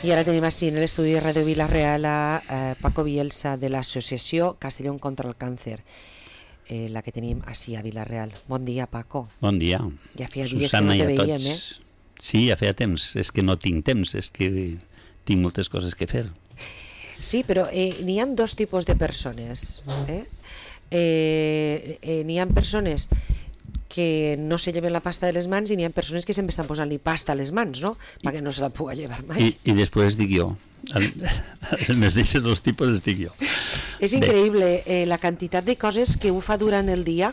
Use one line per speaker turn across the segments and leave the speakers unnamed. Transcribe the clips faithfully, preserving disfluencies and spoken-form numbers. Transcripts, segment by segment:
I ara tenim així en l'estudi de Ràdio Vila-real a eh, Paco Bielsa de l'associació Castellón contra el Càncer, eh, la que tenim així a Vila-real. Bon dia, Paco.
Bon dia.
Ja feia dies que no te veiem, eh?
Sí, ja feia temps. És que no tinc temps, és que tinc moltes coses que fer.
Sí, però eh, n'hi ha dos tipus de persones. Eh? Eh, eh, n'hi ha persones que no se lleven la pasta de les mans i n'hi ha persones que sempre estan posant-li pasta a les mans, no? Perquè no se la puga llevar mai.
I, i després dic jo. El, el més d'això dos tipus els dic jo.
És increïble eh, la quantitat de coses que ho fa durant el dia,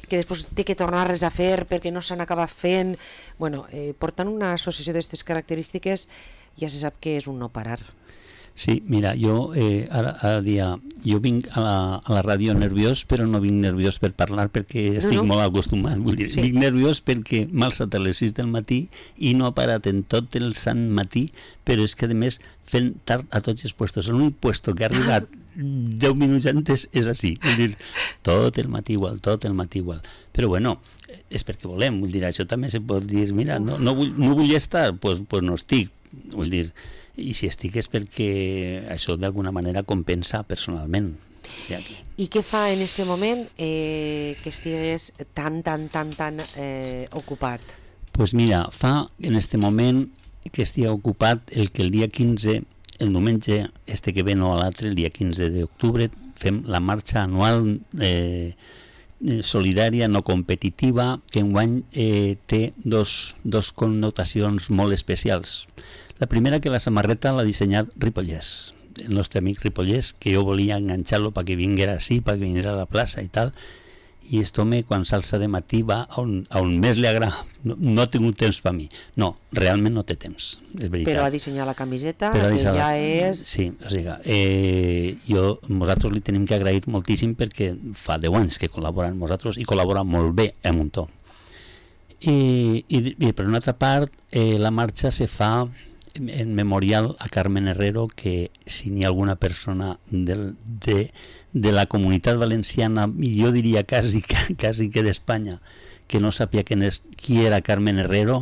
que després té que tornar-les a fer perquè no s'han acabat fent. Bueno, eh, portant una associació d'aquestes característiques ja se sap que és un no parar.
Sí, mira, jo eh, ara, ara dia, jo vinc a la, a la ràdio nerviós, però no vinc nerviós per parlar perquè estic no, no. molt acostumat. Vull dir, sí. Vinc nerviós perquè m'ha alçat a les sis del matí i no ha parat en tot el sant matí, però és que a més fent tard a tots els puestos. L'únic puesto que ha arribat deu minuts antes és així. Vull dir, tot el matí igual, tot el matí igual. Però bueno, és perquè volem, vull dir, això també se pot dir, mira, no, no, vull, no vull estar, doncs pues, pues no estic, vull dir, i si estic és perquè això d'alguna manera compensa personalment.
I què fa en este moment eh, que estigues tan, tan, tan, tan eh, ocupat?
Doncs pues mira, fa en este moment que estigui ocupat el que el dia quinze, el diumenge, este que ve no a l'altre, el dia quinze d'octubre, fem la marxa anual eh, solidària no competitiva, que enguany eh, té dos, dos connotacions molt especials. La primera, que la samarreta l'ha dissenyat Ripollès, el nostre amic Ripollès, que jo volia enganxar-lo perquè vinguera així, perquè vinguera a la plaça i tal, i aquest home quan s'alça de matí va a on, a on més li agrada. No, no ha tingut temps per mi. No, realment no té temps, és veritat.
Però ha dissenyat la camiseta, que ja la... és...
Sí, o sigui, eh, jo, nosaltres li tenim que agrair moltíssim perquè fa deu anys que col·labora amb nosaltres i col·labora molt bé amb un to. I, i, i per una altra part, eh, la marxa se fa en memorial a Carmen Herrero, que si n'hi ha alguna persona del, de, de la comunitat valenciana, i jo diria quasi, quasi que d'Espanya, que no sàpia qui, és, qui era Carmen Herrero,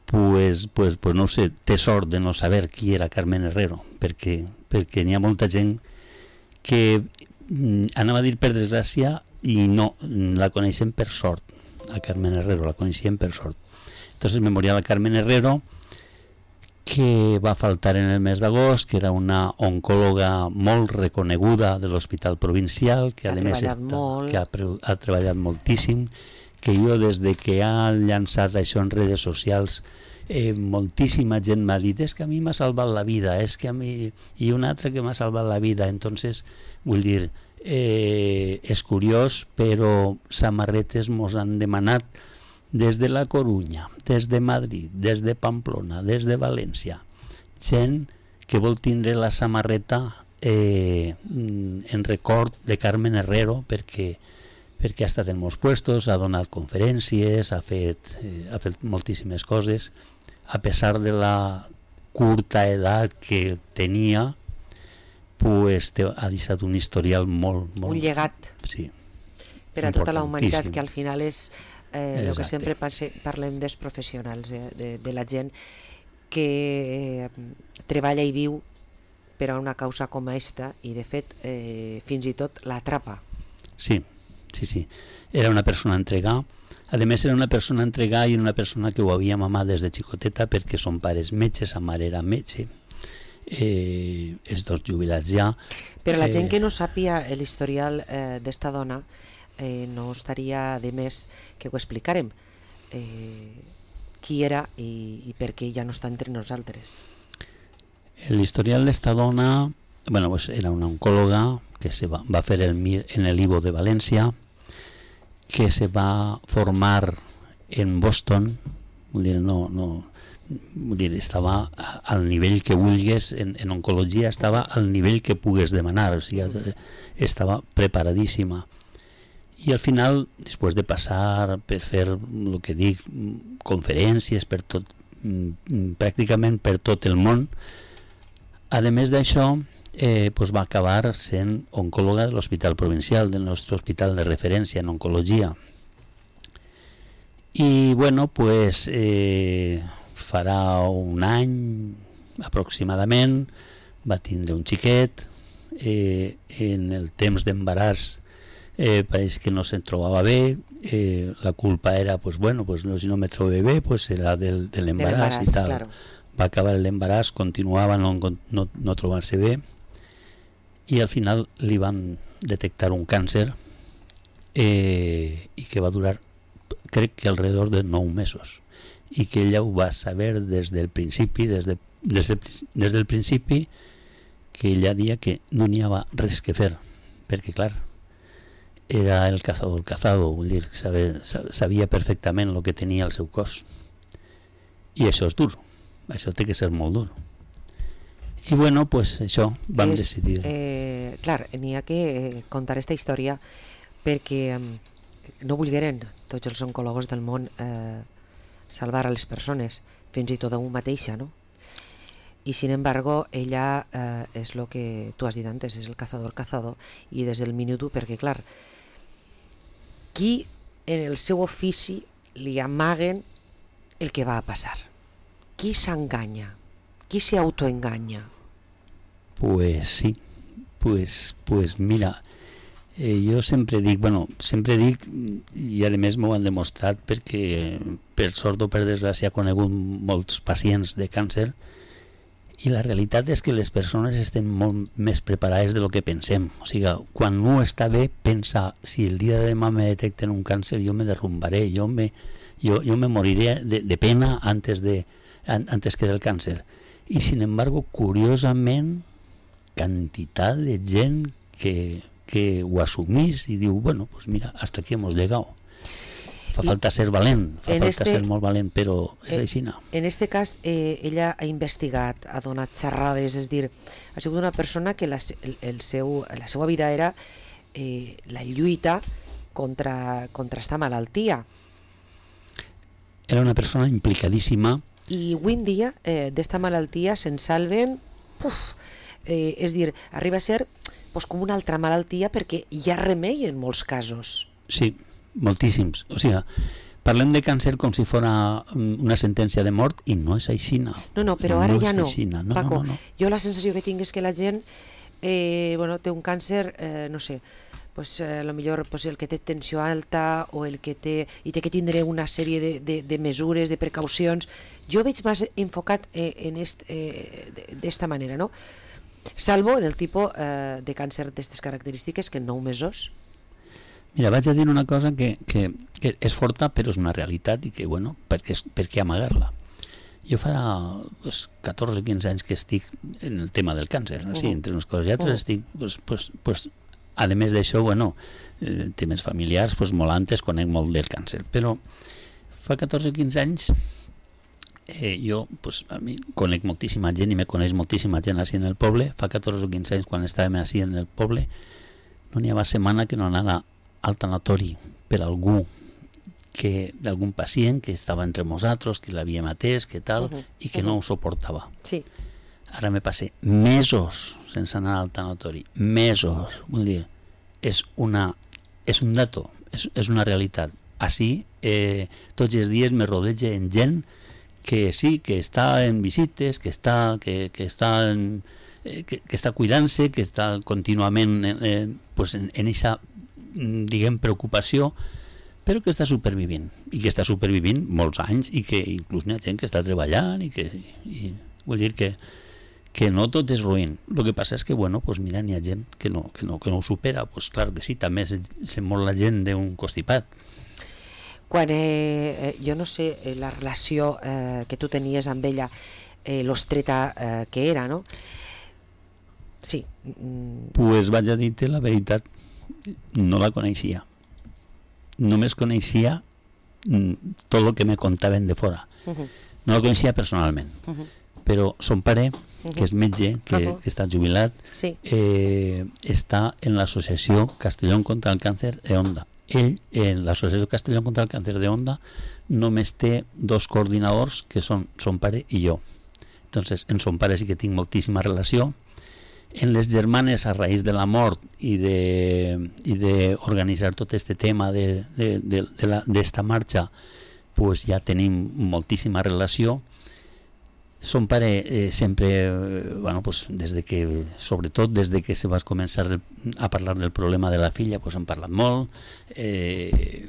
pues, pues, pues no sé, té sort de no saber qui era Carmen Herrero, perquè, perquè n'hi ha molta gent que mm, anava a dir per desgràcia i no, la coneixem per sort, a Carmen Herrero, la coneixem per sort. Entonces, memorial a Carmen Herrero, que va faltar en el mes d'agost, que era una oncòloga molt reconeguda de l'Hospital Provincial, que a més està, que ha, ha treballat moltíssim, que jo des de que ha llançat això en redes socials, eh, moltíssima gent m'ha dit, és que a mi m'ha salvat la vida, és que a mi... i un altre que m'ha salvat la vida. Entonces, vull dir, eh, és curiós, però samarretes mos han demanat des de la Corunya, des de Madrid, des de Pamplona, des de València, gent que vol tindre la samarreta eh, en record de Carmen Herrero perquè, perquè ha estat en molts puestos, ha donat conferències, ha fet, eh, ha fet moltíssimes coses, a pesar de la curta edat que tenia, pues, te, ha deixat un historial molt, molt...
Un llegat.
Sí.
Per a tota la humanitat, que al final és... Eh, el que sempre parlem dels professionals, eh, de, de la gent que eh, treballa i viu per a una causa com aquesta i de fet eh, fins i tot l'atrapa.
Sí, sí, sí. Era una persona entregada. A més era una persona entregada i una persona que ho havia mamat des de xicoteta perquè son pares metges, sa mare era metge, eh, els dos jubilats ja.
Per a la gent eh... que no sàpia l'historial eh, d'esta dona, Eh, no estaria de més que ho explicarem, eh, qui era i, i per què ja no està entre nosaltres.
L'historial d'esta dona, bueno, pues era una oncòloga que se va, va fer el M I R en el I V O de València, que se va formar en Boston, vull dir, no, no, vull dir, estava al nivell que vulgues, en, en oncologia estava al nivell que pugues demanar, o sigui, estava preparadíssima. I al final, després de passar per fer el que dic, conferències per tot, pràcticament per tot el món, a més d'això, eh, pues va acabar sent oncòloga de l'Hospital Provincial, del nostre hospital de referència en oncologia. I bueno, pues eh, farà un any, aproximadament, va tindre un xiquet, eh, en el temps d'embaràs eh, pareix que no se'n trobava bé, eh, la culpa era, pues bueno, pues no, si no me trobe bé, pues serà del, de l'embaràs i tal.
Claro.
Va acabar l'embaràs, continuava no, no, no trobar-se bé, i al final li van detectar un càncer eh, i que va durar, crec que alrededor de nou mesos, i que ella ho va saber des del principi, des, de, des, de, des del principi, que ella dia que no n'hi havia res que fer, perquè clar, era el cazador cazado, vull dir, sabia, sabia perfectament el que tenia al seu cos, i això és dur, això té que ser molt dur. I bueno, pues això, vam
és,
decidir.
Eh, clar, n'hi ha que eh, contar aquesta història perquè eh, no volgueren tots els oncòlegs del món eh, salvar a les persones, fins i tot a un mateixa, no? I sin embargo, ella eh, és el que tu has dit antes, és el cazador cazador, i des del minut u, perquè clar, qui en el seu ofici li amaguen el que va a passar? Qui s'enganya? Qui s'autoenganya?
Pues sí, pues, pues mira, eh, jo sempre dic, bueno, sempre dic, i a més m'ho han demostrat perquè per sort o per desgràcia he conegut molts pacients de càncer, i la realitat és que les persones estan molt més preparades de lo que pensem. O sigui, quan un està bé, pensa, si el dia de demà me detecten un càncer, jo me derrumbaré, jo me, jo, jo me moriré de, de pena antes, de, antes que del càncer. I sin embargo, curiosament, quantitat de gent que, que ho assumís i diu, bueno, pues mira, hasta aquí hemos llegado. Fa falta ser valent, fa falta este, ser molt valent, però és
en,
així.
En este cas, eh, ella ha investigat, ha donat xerrades, és dir, ha sigut una persona que la, el, el seu, la seva vida era eh, la lluita contra, contra esta malaltia.
Era una persona implicadíssima.
I avui en dia eh, d'esta malaltia se'n salven, puf, eh, és dir, arriba a ser pues, com una altra malaltia perquè hi ha remei en molts casos.
Sí, moltíssims. O sigui, parlem de càncer com si fos una sentència de mort i no és així.
No, no, però ara
no
ja no.
no,
Paco,
no, no.
Jo la sensació que tinc és que la gent eh, bueno, té un càncer, eh, no sé, pues, eh, a lo millor pues, el que té tensió alta o el que té, i té que tindre una sèrie de, de, de mesures, de precaucions. Jo veig més enfocat eh, en est, eh, d'esta manera, no? Salvo en el tipus eh, de càncer d'aquestes característiques que en nou mesos.
Mira, vaig a dir una cosa que, que, que és forta però és una realitat i que, bueno, per què, per què amagar-la? Jo farà pues, catorze o quinze anys que estic en el tema del càncer, no? Sí, entre unes coses i altres, uh-huh. estic, pues, pues, pues, a més d'això, bueno, eh, temes familiars, pues, molt antes conec molt del càncer, però fa catorze o quinze anys eh, jo, pues, a mi conec moltíssima gent i me coneix moltíssima gent així en el poble. Fa catorze o quinze anys quan estàvem així en el poble no n'hi havia setmana que no anava al tanatori per algú que d'algun pacient que estava entre nosaltres, que l'havíem atès, que tal, uh-huh. i que uh-huh. no ho suportava.
Sí.
Ara me passé mesos sense anar al tanatori, mesos, vull dir, és una és un dato, és, és una realitat. Així, eh, tots els dies me rodeja en gent que sí, que està en visites, que està que, que està en, eh, que, que està cuidant-se, que està contínuament eh, pues en aquesta diguem preocupació, però que està supervivint i que està supervivint molts anys i que inclús hi ha gent que està treballant i que i, vull dir que, que no tot és ruïn. El que passa és que, bueno, pues mira, hi ha gent que no, que no, que no ho supera, pues clar que sí, també se, se mor la gent d'un constipat.
Quan, eh, jo no sé, eh, la relació eh, que tu tenies amb ella, eh, l'ostreta eh, que era, no? Sí. Mm.
Pues vaig a dir-te la veritat, no la coneixia. Només coneixia mm, tot el que me contaven de fora. Uh-huh. No la coneixia personalment. Uh-huh. Però son pare, uh-huh. que és metge, que, uh-huh. que està jubilat,
sí.
eh, està en l'associació Castellón contra el càncer de Onda. Ell, en l'associació Castellón contra el càncer de Onda, només té dos coordinadors, que són son pare i jo. Entonces, en son pare sí que tinc moltíssima relació. En les germanes, a raïs de la mort i de, i de organitzar tot este tema de, de, de, de la, d'esta marxa, pues ja tenim moltíssima relació. Son pare eh, sempre, eh, bueno, pues desde que, sobretot des de que se va començar a parlar del problema de la filla, pues hem parlat molt, eh,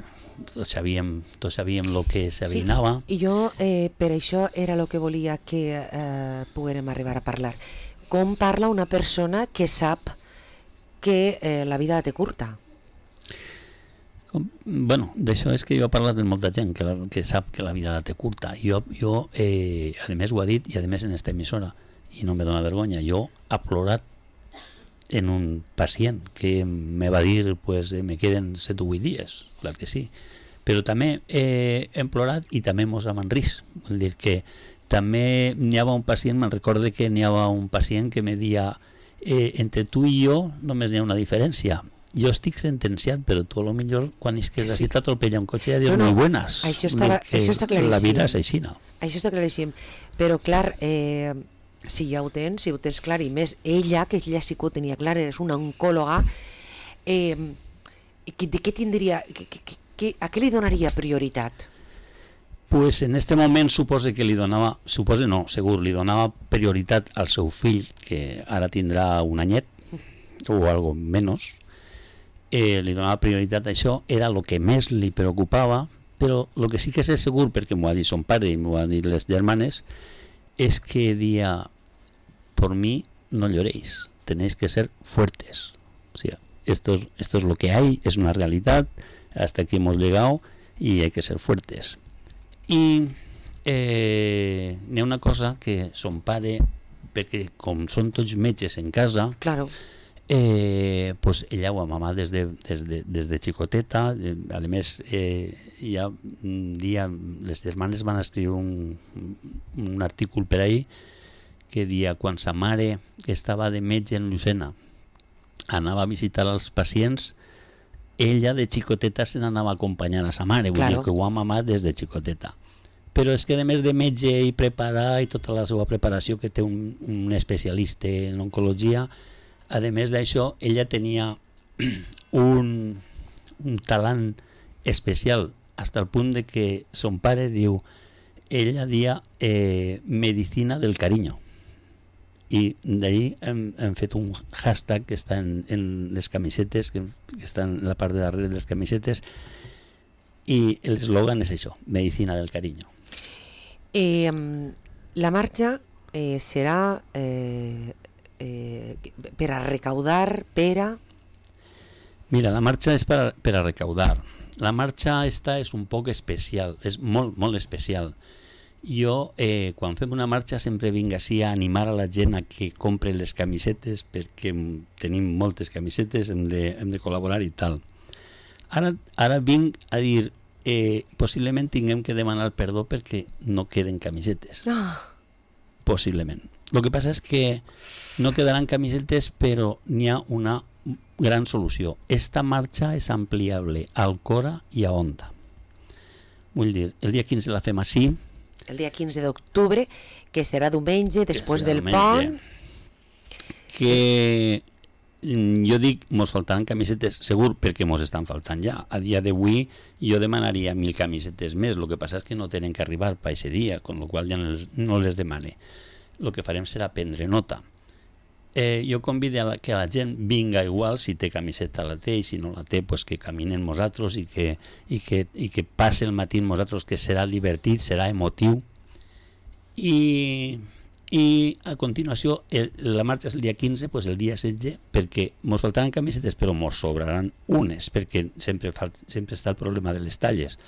tots sabíem, tots sabíem el que s'avinava.
Sí, i jo eh, per això era el que volia que eh, poguérem arribar a parlar. Com parla una persona que sap que eh, la vida té curta?
Com, bueno, d'això és que jo he parlat amb molta gent que, la, que sap que la vida la té curta. Jo, jo eh, a més ho ha dit, i a més en esta emissora, i no me dona vergonya, jo he plorat en un pacient que me va dir pues, eh, me queden set o vuit dies, clar que sí. Però també eh, hem plorat i també mos hem enrís. Vol dir que també n'hi havia un pacient, me'n recorde que n'hi havia un pacient que me deia eh, entre tu i jo només n'hi ha una diferència. Jo estic sentenciat, però tu a lo millor quan és que has sí. t'atropella un cotxe ja dius no, no. muy buenas.
Això està, això està claríssim.
La vida és així, no?
Això està claríssim. Però clar, eh, si ja ho tens, si ho tens clar, i més ella, que ella sí que ho tenia clar, és una oncòloga, eh, de què tindria, que, que, que, a què li donaria prioritat?
Pues en este moment supose que li donava, supose no, segur, li donava prioritat al seu fill, que ara tindrà un anyet, o algo menys. Eh, li donava prioritat a això, era el que més li preocupava, però el que sí que és segur, perquè m'ho ha dit son pare i m'ho ha dit les germanes, és que dia, por mí no lloréis, tenéis que ser fuertes. O sea, esto es, esto es lo que hay, es una realidad, hasta aquí hemos llegado y hay que ser fuertes. I eh, n'hi ha una cosa que son pare, perquè com són tots metges en casa,
claro.
Eh, pues ella ho amava des de, des de, des de xicoteta. Eh, a més, eh, ja un dia les germanes van escriure un, un artícul per ahí que dia quan sa mare estava de metge en Llucena anava a visitar els pacients, ella de xicoteta se n'anava a acompanyar a sa mare, vull claro. dir que ho ha mamat des de xicoteta. Però és que a més de metge i preparar i tota la seva preparació que té un, un especialista en oncologia, a més d'això, ella tenia un, un talent especial, fins al punt de que son pare diu, ella dia eh, medicina del cariño. I d'ahí hem, hem fet un hashtag que està en, en les camisetes, que, que està en la part de darrere de les camisetes, i l'eslògan és això, medicina del cariño.
Eh, la marxa eh, serà... Eh... Eh, per a recaudar, per a...
Mira, la marxa és per a, per a recaudar. La marxa esta és un poc especial, és molt, molt especial. Jo, eh, quan fem una marxa, sempre vinc així a animar a la gent a que compre les camisetes, perquè tenim moltes camisetes, hem de, hem de col·laborar i tal. Ara, ara vinc a dir, eh, possiblement tinguem que demanar perdó perquè no queden camisetes.
Oh.
Possiblement. El que passa és que no quedaran camisetes, però n'hi ha una gran solució. Esta marxa és ampliable a Alcora i a Onda. Vull dir, el dia quinze la fem així.
El dia quinze d'octubre, que serà diumenge, després del pont.
Que jo dic, mos faltaran camisetes, segur, perquè mos estan faltant ja. A dia d'avui jo demanaria mil camisetes més, el que passa és que no tenen que arribar per aquest dia, amb la qual ja no les, no les demane. El que farem serà prendre nota. Eh, jo convido a la, que la gent vinga igual, si té camiseta la té, i si no la té, pues que caminen nosaltres i que, i que, i que passe el matí amb nosaltres, que serà divertit, serà emotiu. I, i a continuació, el, la marxa és el dia quinze, pues el dia setze, perquè mos faltaran camisetes, però mos sobraran unes, perquè sempre, fa, sempre està el problema de les talles.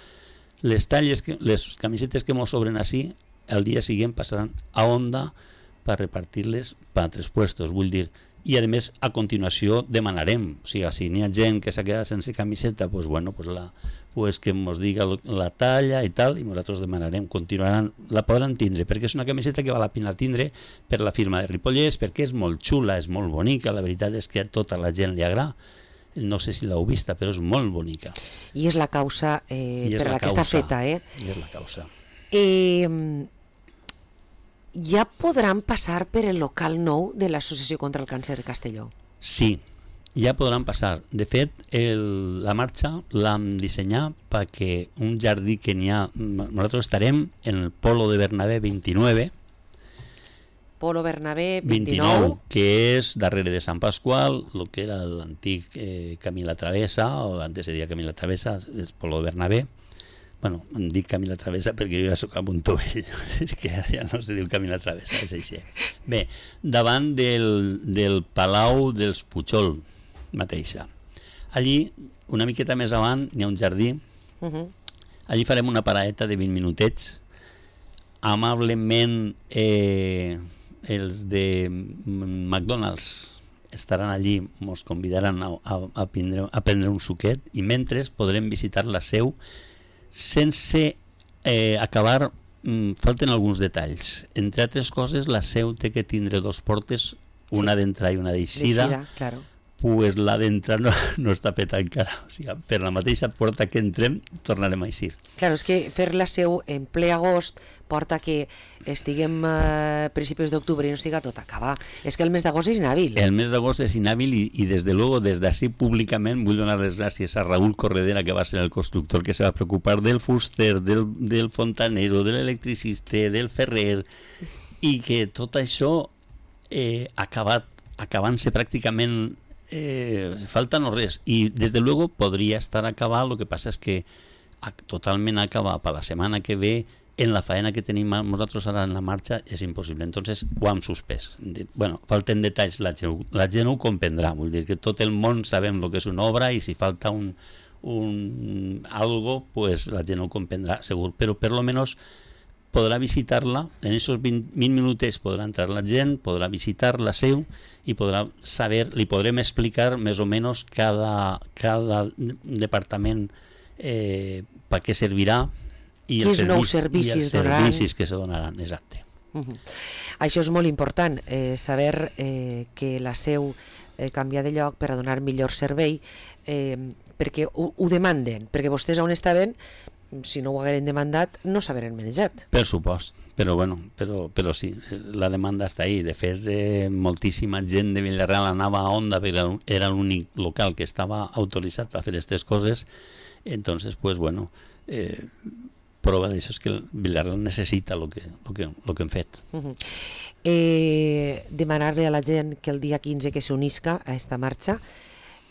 Les talles, que, les camisetes que mos sobren així, el dia següent passaran a Onda per repartir-les per altres puestos, vull dir, i a més a continuació demanarem, o sigui, si n'hi ha gent que s'ha quedat sense camiseta, pues bueno, pues la, pues que ens diga la talla i tal, i nosaltres demanarem, continuaran, la podran tindre, perquè és una camiseta que val la pena tindre per la firma de Ripollès, perquè és molt xula, és molt bonica, la veritat és que a tota la gent li agrada. No sé si l'heu vista, però és molt bonica.
I és la causa eh, per la, la que causa, està feta, eh?
I és la causa.
Eh... Ja podran passar per el local nou de l'Associació contra el Càncer de Castelló?
Sí, ja podran passar. De fet, el, la marxa l'hem dissenyat perquè un jardí que n'hi ha... Nosaltres estarem en el Polo de Bernabé vint-i-nou,
Polo Bernabé
vint-i-nou,
vint-i-nou,
que és darrere de Sant Pasqual, el que era l'antic eh, Camí la Travessa, o antes se deia Camí la Travessa, és Polo Bernabé. Bueno, em dic Camí la Travessa perquè jo ja soc a Montovell, que ja no se diu Camí la Travessa, és així. Bé, davant del, del Palau dels Pujol mateixa. Allí, una miqueta més avant, n'hi ha un jardí. Uh-huh. Allí farem una paradeta de vint minutets. Amablement, eh, els de McDonald's estaran allí, ens convidaran a, a, a, prendre, a prendre un suquet, i mentre podrem visitar la seu sense eh, acabar. Mm, falten alguns detalls. Entre altres coses, la seu té que tindre dos portes, una sí. d'entrada i una d'eixida.
Claro.
Pues la d'entrar no, no està feta encara. O sigui, per la mateixa porta que entrem tornarem a eixir.
Claro, és que fer la seu en ple agost porta que estiguem a eh, principis d'octubre i no estiga tot acabar. És que el mes d'agost és inhàbil.
El mes d'agost és inhàbil i, i des de luego, des d'ací públicament vull donar les gràcies a Raúl Corredera, que va ser el constructor que se va preocupar del fuster, del, del fontanero, de l'electricista, del ferrer, i que tot això eh, acabat, acabant-se pràcticament Eh, falta no res, i des de luego podria estar acabat. Lo que passa és que a, totalment acabar per la setmana que ve, en la faena que tenim nosaltres ara en la marxa, és impossible. Entonces ho hem suspès. Bueno, falten detalls, la gent, la gent ho comprendrà, vull dir que tot el món sabem el que és una obra, i si falta un, un algo, pues la gent ho comprendrà segur, però per lo menos podrà visitar-la. En aquests vint, vint minuts podrà entrar la gent, podrà visitar la seu i podrà saber, li podrem explicar més o menys cada, cada departament eh, per què servirà i els servis, servicis, servicis que se donaran. Exacte.
Uh-huh. Això és molt important, eh, saber eh, que la seu eh, canvia de lloc per a donar millor servei, eh, perquè ho, ho demanden, perquè vostès on estaven, si no ho hagueren demandat, no s'hagueren manejat.
Per supost, però bueno, però, però sí, la demanda està ahí. De fet, eh, moltíssima gent de Vila-real anava a Onda perquè era l'únic local que estava autoritzat per fer aquestes coses. Entonces, pues bueno, eh, prova d'això és que Vila-real necessita el que, lo que, lo que hem fet.
Uh-huh. eh, demanar-li a la gent que el dia quinze que s'unisca a esta marxa,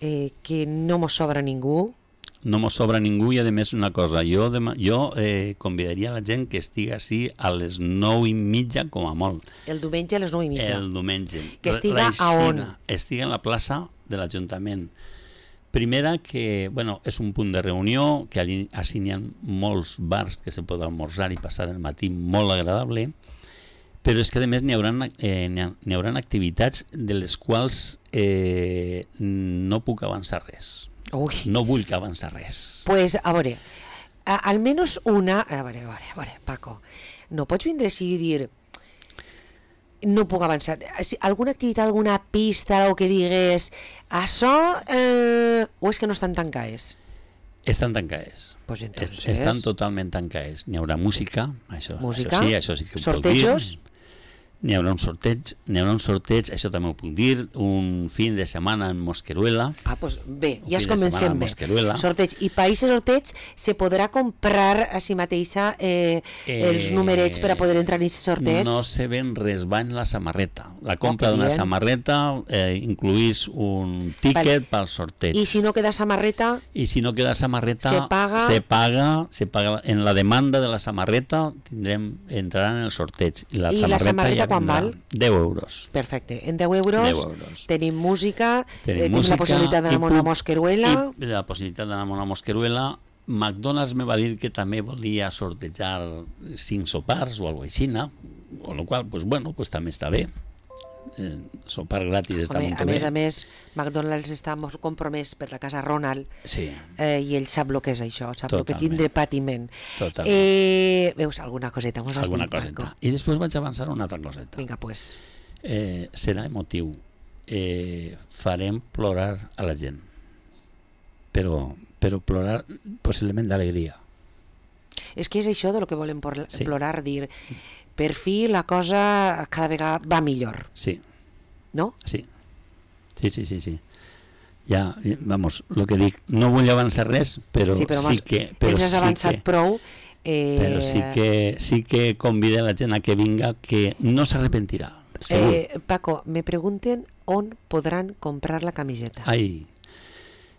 eh, que no mos sobra ningú.
No mos sobra ningú, i a més una cosa, jo, demà, jo eh, convidaria la gent que estigui així a les nou i mitja com a molt.
El diumenge a les nou i mitja?
El diumenge.
Que estiga a on?
Estiga en la plaça de l'Ajuntament. Primera, que bueno, és un punt de reunió, que allí n'hi ha molts bars que se pot almorzar i passar el matí molt agradable, però és que a més n'hi haurà, eh, n'hi ha, n'hi haurà activitats de les quals eh, no puc avançar res.
Ui.
No vull que avança res.
Pues a veure, a, almenys una... A veure, a veure, a veure, Paco, no pots vindre així i dir no puc avançar. Alguna activitat, alguna pista o que digues això, eh, o és que no estan tancades?
Estan tancades.
Pues entonces...
Estan totalment tancades. N'hi haurà música, això,
música?
Això sí, això sí que ho
sortejos?
puc dir. N'hi haurà un sorteig, n'hi haurà un sorteig, això també ho puc dir, un fin de setmana en Mosqueruela.
Ah, doncs pues bé, ja es comencem bé.
Sorteig.
I per aquest sorteig se podrà comprar a si mateixa eh, eh, els numerets per a poder entrar en aquest sorteig?
No se ven res, va en la samarreta. La compra oh, d'una samarreta eh, incluís un tíquet vale. Pel sorteig.
I si no queda samarreta?
I si no queda samarreta,
se paga?
Se paga, se paga en la demanda de la samarreta, tindrem, entraran en el sorteig. I la
I
samarreta,
la samarreta ja quan val?
deu euros.
Perfecte. En deu euros,
deu euros.
Tenim música,
tenim,
eh,
música,
tenim la possibilitat d'anar a una Mosqueruela.
I la possibilitat d'anar a una Mosqueruela. McDonald's me va dir que també volia sortejar cinc sopars o alguna cosa així, amb la qual cosa, pues, bueno, pues, també està bé. Eh, sopar gratis està
Home,
molt
a
bé.
més a més, McDonald's està molt compromès per la casa Ronald,
sí.
eh, i ell sap el que és això, sap el que tindre patiment.
Totalment.
Eh, veus, alguna coseta mos has
alguna
dit,
coseta.
Paco.
I després vaig avançar una altra coseta.
Vinga, pues.
Eh, serà emotiu. Eh, farem plorar a la gent. Però, però plorar possiblement d'alegria.
És que és això de lo que volem
sí.
plorar, dir... Per fi la cosa cada vegada va millor.
Sí.
No?
Sí. Sí, sí, sí, sí. Ja, vamos, el que dic, no vull avançar res, però sí, però sí que... Però
ens has
sí
avançat
que,
prou. Eh...
Però sí que, sí que convida la gent a que vinga, que no s'arrepentirà. segur.
Eh, Paco, me pregunten on podran comprar la camiseta.
Ai,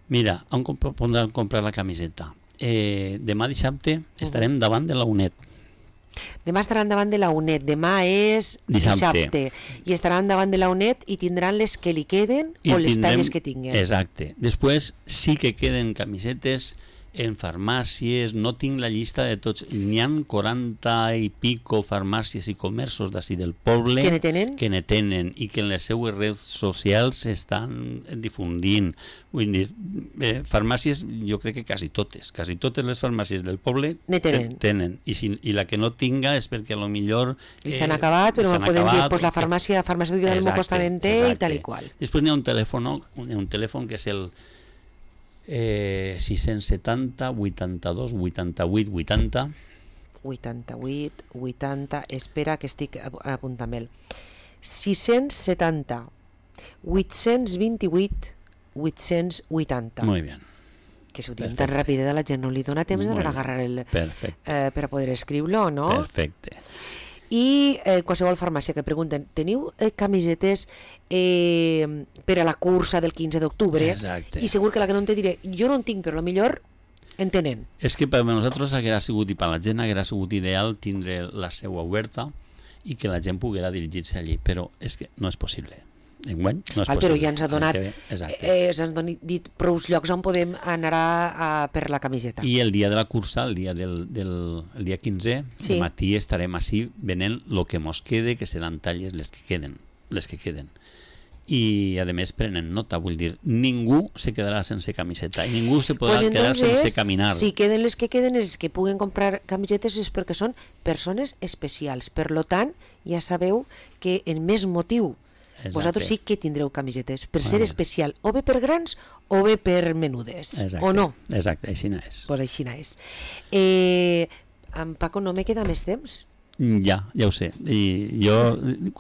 mira, on comp- podran comprar la camiseta? Eh, demà dissabte estarem uh-huh. davant de la UNED.
Demà estaran davant de la UNED, demà és dissabte, dissabte i estaran davant de la UNED i tindran les que li queden I o les tindrem, talles que tinguin.
Exacte. Després sí que queden camisetes en farmàcies, no tinc la llista de tots, n'hi ha quaranta i pico farmàcies i comerços d'ací del poble
que ne tenen?
que ne tenen i que en les seues redes socials estan difundint. Vull dir, eh, farmàcies, jo crec que quasi totes, quasi totes les farmàcies del poble
ne tenen.
tenen. I, si, i la que no tinga és perquè a lo millor...
I s'han eh, acabat, però no podem acabat, dir pues, la farmàcia, farmàcia del Mocostadenter i tal i qual.
Després n'hi ha un telèfon, un, un telèfon que és el Eh, sis-cents setanta, vuitanta-dos, vuitanta-vuit, vuitanta
vuitanta-vuit, vuitanta espera que estic apuntant-me'l sis-cents setanta, vuit-cents vint-i-vuit, vuit-cents vuitanta.
Muy bien.
Que si ho diuen tan ràpid de la gent no li dona temps d'anar a agarrar el...
Perfecte.
Eh, per a poder escriure-lo, no?
Perfecte.
I eh, qualsevol farmàcia que pregunten, teniu eh, camisetes eh, per a la cursa del quinze d'octubre?
Exacte.
I segur que la que no en te diré, jo no en tinc, però millor en tenen.
És que per a nosaltres haguera sigut, i per a la gent haguera sigut ideal tindre la seu oberta i que la gent poguera dirigir-se allí, però és que no és possible. Enguany no és
Val,
possible.
Però ja ens ha donat, eh, ens han dit prou llocs on podem anar a, a, per la camiseta.
I el dia de la cursa, el dia del, del el dia quinze, sí. De matí estarem així venent el que mos quede, que seran talles les que queden, les que queden. I a més prenen nota, vull dir, ningú se quedarà sense camiseta i ningú se podrà pues quedar sense caminar.
Si queden les que queden, els que puguen comprar camisetes és perquè són persones especials. Per lo tant, ja sabeu que en més motiu Exacte. Vosaltres sí que tindreu camisetes per ser especial, o bé per grans o bé per menudes.
Exacte.
O no?
Exacte, així no és.
Pues així no és. Eh, en Paco, no me queda més temps?
Ja, ja ho sé. I jo,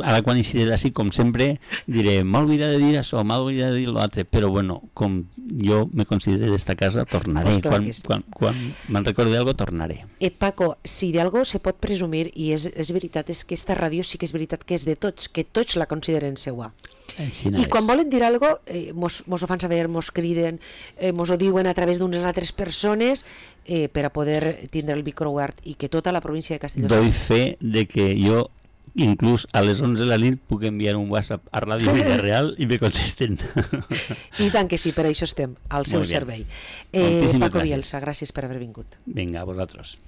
ara quan eixiré d'ací, com sempre, diré, m'ha oblidat de dir això, m'ha oblidat de dir l'altre, però bueno, com jo me considero d'esta casa, tornaré. Pues quan sí. quan, quan me'n recordi d'algo, tornaré.
Eh, Paco, si d'algo se pot presumir, i és, és veritat, és que esta ràdio sí que és veritat que és de tots, que tots la consideren seua.
Així no
I
és.
quan volen dir alguna cosa, eh, mos, mos ho fan saber, mos criden, eh, mos ho diuen a través d'unes altres persones, eh, per a poder tindre el micro obert i que tota la província de Castelló...
Doy fe de que jo, inclús a les onze de la nit, puc enviar un WhatsApp a Ràdio Villarreal i me contesten.
I tant que sí, per això estem, al seu servei. Eh, Paco Bielsa, gràcies per haver vingut.
Vinga, a vosaltres.